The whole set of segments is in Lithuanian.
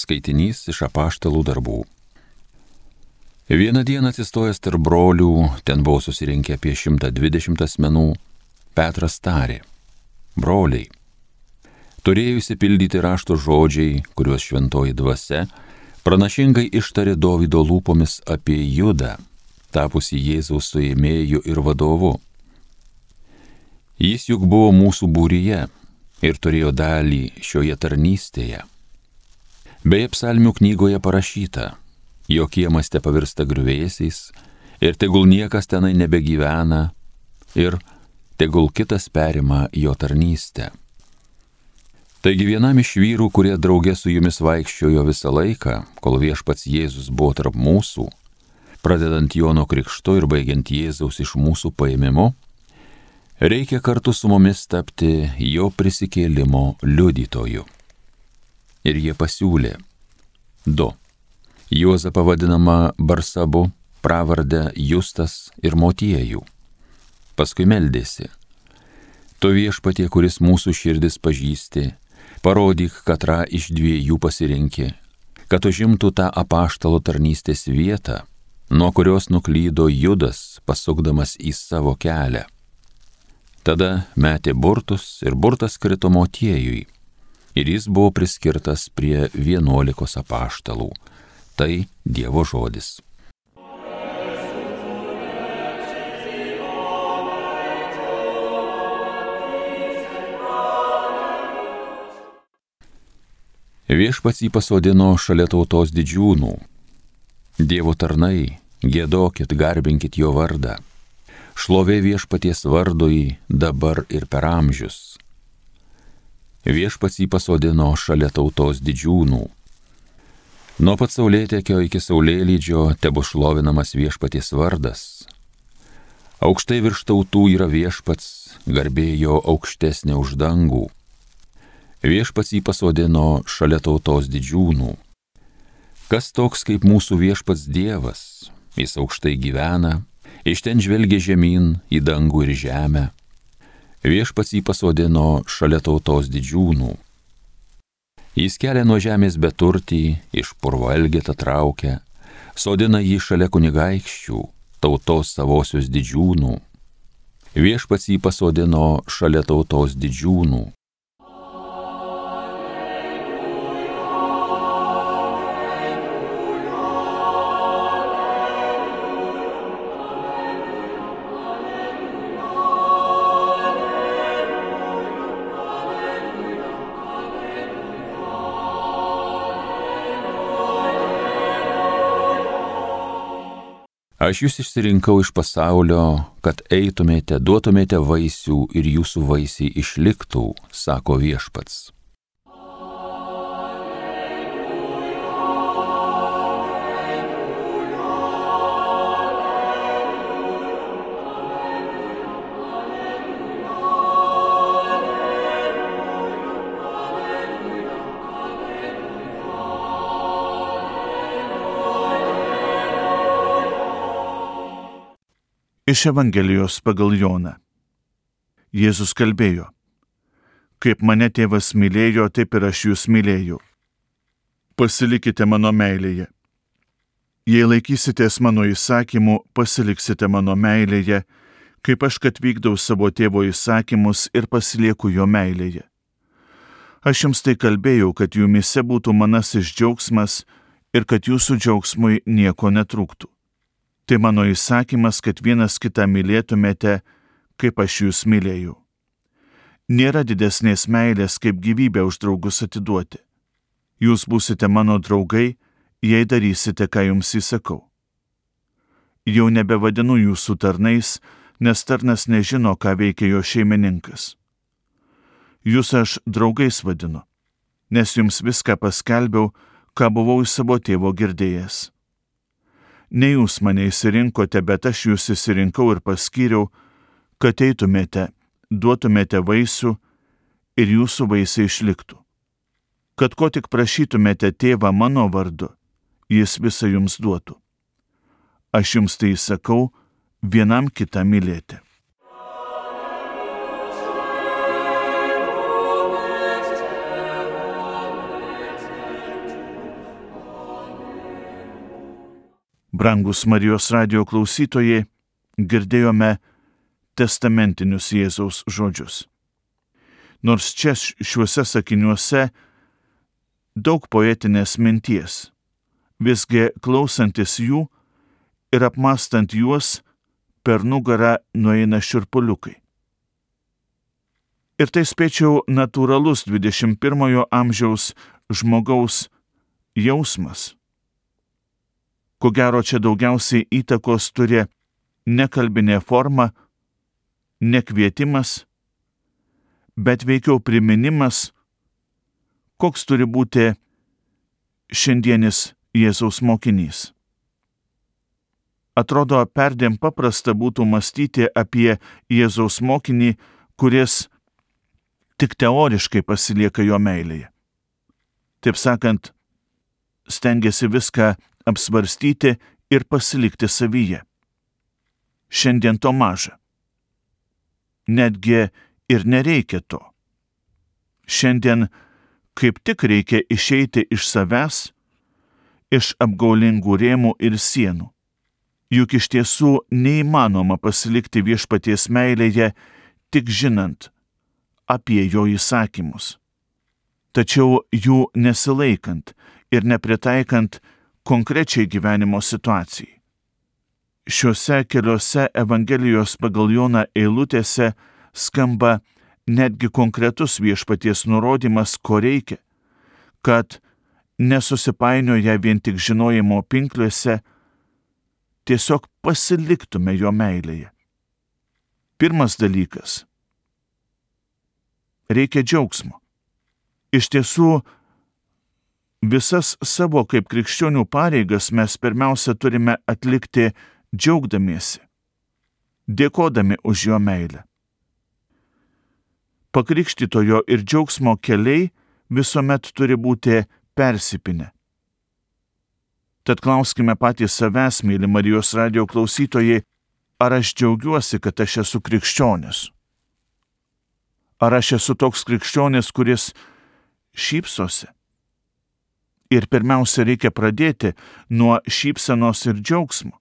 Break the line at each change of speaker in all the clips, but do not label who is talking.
Skaitinys iš Apaštalų darbų. Vieną dieną atsistojęs tarp brolių, ten buvo susirinkę apie 120 asmenų, Petras tarė: broliai, turėjo išsipildyti rašto žodžiai, kuriuos šventoji dvasia pranašingai ištarė Dovydo lūpomis apie Judą, tapusį Jėzaus suėmėju ir vadovu. Jis juk buvo mūsų būryje ir turėjo dalį šioje tarnystėje. Beje, psalmių knygoje parašyta: jo kiemas te pavirsta griuvėsiais ir tegul niekas tenai nebegyvena ir tegul kitas perima jo tarnystę. Taigi vienam iš vyrų, kurie drauge su jumis vaikščiojo visą laiką, kol viešpats Jėzus buvo tarp mūsų, pradedant Jono krikštu ir baigiant Jėzaus iš mūsų paėmimu, reikia kartu su mumis tapti jo prisikėlimo liudytoju. Ir jie pasiūlė 2. Juozapą vadinamą Barsabu, pravardę Justas ir Motiejų. Paskui meldėsi: tu viešpatie, kuris mūsų širdis pažįsti, parodyk, katrą iš 2 pasirinki, kad užimtų tą apaštalo tarnystės vietą, nuo kurios nuklydo Judas, pasukdamas į savo kelią. Tada metė burtus ir burtas krito Motiejui, ir jis buvo priskirtas prie 11 apaštalų. Tai Dievo žodis. Viešpats jį pasodino šalia tautos didžiūnų. Dievo tarnai, giedokit, garbinkit jo vardą. Šlovė viešpaties vardui dabar ir per amžius. Viešpats jį pasodino šalia tautos didžiūnų. Nuo pat saulėtekio iki saulėlydžio tebu šlovinamas viešpaties vardas. Aukštai virš tautų yra viešpats, garbė jo aukštesnė už dangų. Viešpats jį pasodino šalia tautos didžiūnų. Kas toks kaip mūsų viešpats Dievas? Jis aukštai gyvena, iš ten žvelgia žemyn į dangų ir žemę. Viešpats jį pasodino šalia tautos didžiūnų. Jis kelia nuo žemės beturtį, iš purvo elgetą traukia, sodina jį šalia kunigaikščių, tautos savosios didžiūnų. Viešpats jį pasodino šalia tautos didžiūnų. Aš jūs išsirinkau iš pasaulio, kad eitumėte, duotumėte vaisių ir jūsų vaisiai išliktų, sako viešpats.
Iš Evangelijos pagal Joną. Jėzus kalbėjo: kaip mane tėvas mylėjo, taip ir aš jūs mylėjau. Pasilikite mano meilėje. Jei laikysitės mano įsakymų, pasiliksite mano meilėje, kaip aš kad vykdau savo tėvo įsakymus ir pasilieku jo meilėje. Aš jums tai kalbėjau, kad jumyse būtų manasis džiaugsmas ir kad jūsų džiaugsmui nieko netrūktų. Tai mano įsakymas, kad vienas kitą mylėtumėte, kaip aš jūs mylėjau. Nėra didesnės meilės, kaip gyvybę už draugus atiduoti. Jūs būsite mano draugai, jei darysite, ką jums įsakau. Jau nebevadinu jūsų tarnais, nes tarnas nežino, ką veikia jo šeimininkas. Jūs aš draugais vadinu, nes jums viską paskelbiau, ką buvau iš savo tėvo girdėjęs. Ne jūs mane išsirinkote, bet aš jūs išsirinkau ir paskyriau, kad eitumėte, duotumėte vaisių ir jūsų vaisiai išliktų. Kad ko tik prašytumėte tėvą mano vardu, jis visą jums duotų. Aš jums tai sakau, vienam kitą mylėti. Brangus Marijos radijo klausytojai, girdėjome testamentinius Jėzaus žodžius. Nors čia šiuose sakiniuose daug poetinės minties, visgi klausantis jų ir apmastant juos, per nugarą nueina šiurpuliukai. Ir tai spėčiau natūralus 21 amžiaus žmogaus jausmas. Ko gero čia daugiausiai įtakos turi ne kalbinė forma, ne kvietimas, bet veikiau priminimas, koks turi būti šiandienis Jėzaus mokinys. Atrodo, perdėm paprasta būtų mąstyti apie Jėzaus mokinį, kuris tik teoriškai pasilieka jo meilėje. Taip sakant, stengiasi viską apsvarstyti ir pasilikti savyje. Šiandien to maža. Netgi ir nereikia to. Šiandien kaip tik reikia išeiti iš savęs, iš apgaulingų rėmų ir sienų. Juk iš tiesų neįmanoma pasilikti viešpaties meilėje, tik žinant apie jo įsakymus, tačiau jų nesilaikant ir nepritaikant konkrečiai gyvenimo situacijai. Šiuose keliose Evangelijos pagal Joną eilutėse skamba netgi konkretus viešpaties nurodymas, ko reikia, kad nesusipainioję vien tik žinojimo pinkliuose, tiesiog pasiliktume jo meilėje. Pirmas dalykas – reikia džiaugsmo. Iš tiesų, visas savo kaip krikščionių pareigas mes pirmiausia turime atlikti džiaugdamiesi, dėkodami už jo meilę. Pakrikštytojo ir džiaugsmo keliai visuomet turi būti persipinę. Tad klauskime patys savęs, myli Marijos radijo klausytojai, ar aš džiaugiuosi, kad aš esu krikščionis? Ar aš esu toks krikščionis, kuris šypsosi? Ir pirmiausia, reikia pradėti nuo šypsenos ir džiaugsmo.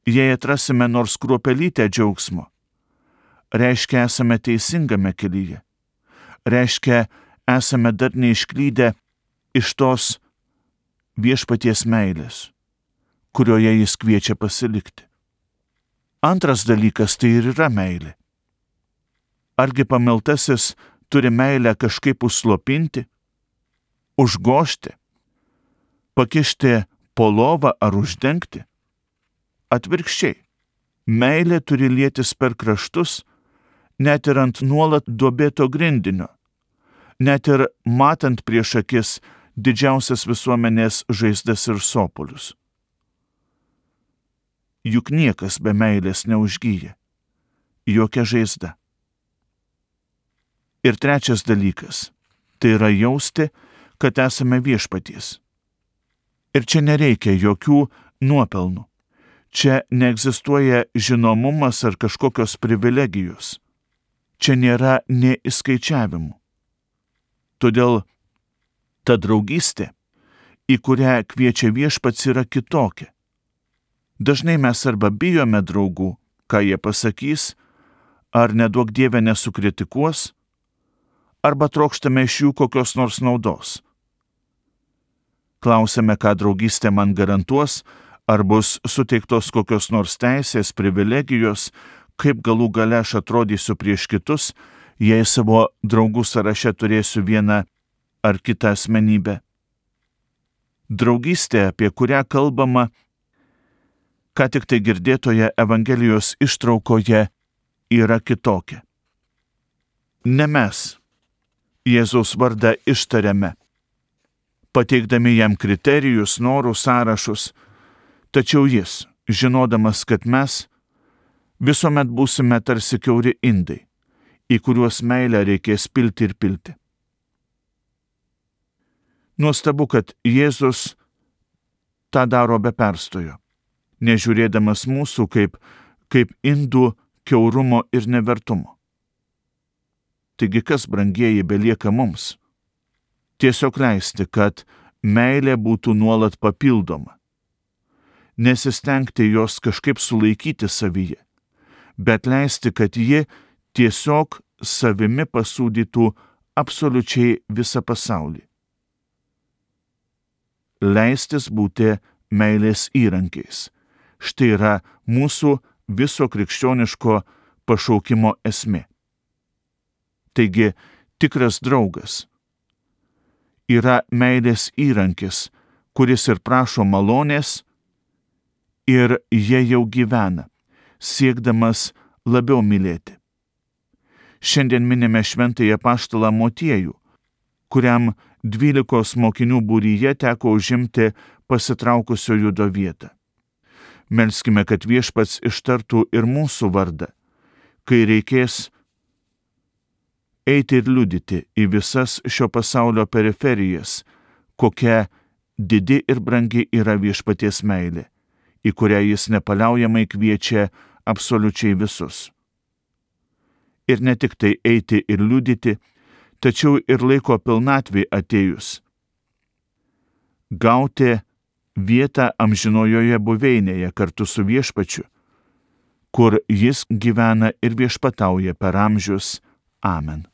Jei atrasime nors kruopelytę džiaugsmo, reiškia esame teisingame kelyje, reiškia esame dar neišklydę iš tos viešpaties meilės, kurioje jis kviečia pasilikti. Antras dalykas tai ir yra meilė. Argi pamiltasis turi meilę kažkaip užslopinti, užgožti, pakišti po lovą ar uždengti? Atvirkščiai, meilė turi lietis per kraštus, net ir ant nuolat duobėto grindinio, net ir matant prieš akis didžiausias visuomenės žaizdas ir sopulius. Juk niekas be meilės neužgyja, jokia žaizda. Ir trečias dalykas – tai yra jausti, kad esame viešpaties. Ir čia nereikia jokių nuopelnų. Čia neegzistuoja žinomumas ar kažkokios privilegijos. Čia nėra nė įskaičiavimų. Todėl ta draugystė, į kurią kviečia viešpats, yra kitokia. Dažnai mes arba bijome draugų, ką jie pasakys, ar neduok Dieve nesukritikuos, arba trokštame iš jų kokios nors naudos. Klausiame, ką draugystė man garantuos, ar bus suteiktos kokios nors teisės, privilegijos, kaip galų gale aš atrodysiu prieš kitus, jei savo draugų sąraše turėsiu vieną ar kitą asmenybę. Draugystė, apie kurią kalbama, ką tik tai girdėtoje Evangelijos ištraukoje, yra kitokia. Ne mes Jėzaus vardą ištariame, pateikdami jam kriterijus, norų sąrašus, tačiau jis, žinodamas, kad mes visuomet būsime tarsi kiauri indai, į kuriuos meilę reikės pilti ir pilti. Nuostabu, kad Jėzus tą daro be perstojo, nežiūrėdamas mūsų kaip indų kiaurumo ir nevertumo. Taigi kas, brangieji, belieka mums? Tiesiog leisti, kad meilė būtų nuolat papildoma. nesistengti jos kažkaip sulaikyti savyje, bet leisti, kad ji tiesiog savimi pasūdytų absoliučiai visą pasaulį. Leistis būti meilės įrankiais. Štai yra mūsų viso krikščioniško pašaukimo esmė. Taigi, tikras draugas yra meilės įrankis, kuris ir prašo malonės, ir jie jau gyvena, siekdamas labiau mylėti. Šiandien minime šventąjį apaštalą Motiejų, kuriam 12 mokinių būryje teko užimti pasitraukusio Judo vietą. Melskime, kad Viešpats ištartų ir mūsų vardą, kai reikės eiti ir liudyti į visas šio pasaulio periferijas, kokia didi ir brangi yra Viešpaties meilė, į kurią jis nepaliaujamai kviečia absoliučiai visus. Ir ne tik tai eiti ir liudyti, tačiau ir laiko pilnatvė atėjus gauti vietą amžinojoje buveinėje kartu su Viešpačiu, kur jis gyvena ir viešpatauja per amžius. Amen.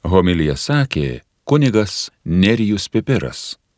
Homiliją sakė kunigas Nerijus Pipiras.